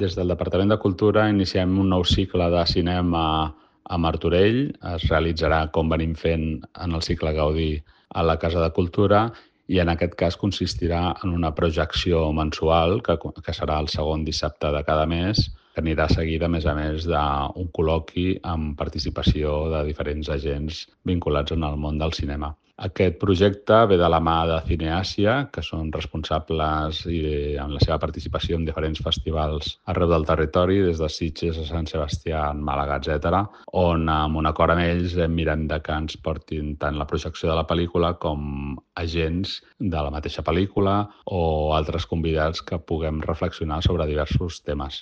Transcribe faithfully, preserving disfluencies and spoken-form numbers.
Des del Departament de Cultura iniciem un nou cicle de cinema a Martorell. Es realitzarà, com venim fent en el cicle Gaudí, a la Casa de Cultura i en aquest cas consistirà en una projecció mensual que, que serà el segon dissabte de cada mes, que anirà seguida, a més a més, d'un col·loqui amb participació de diferents agents vinculats en el món del cinema. Aquest projecte ve de la mà de Cineàsia, que són responsables i en la seva participació en diferents festivals arreu del territori, des de Sitges a Sant Sebastià, Màlaga, etcètera, on amb un acord amb ells mirem de que ens portin tant la projecció de la pel·lícula com agents de la mateixa pel·lícula o altres convidats que puguem reflexionar sobre diversos temes.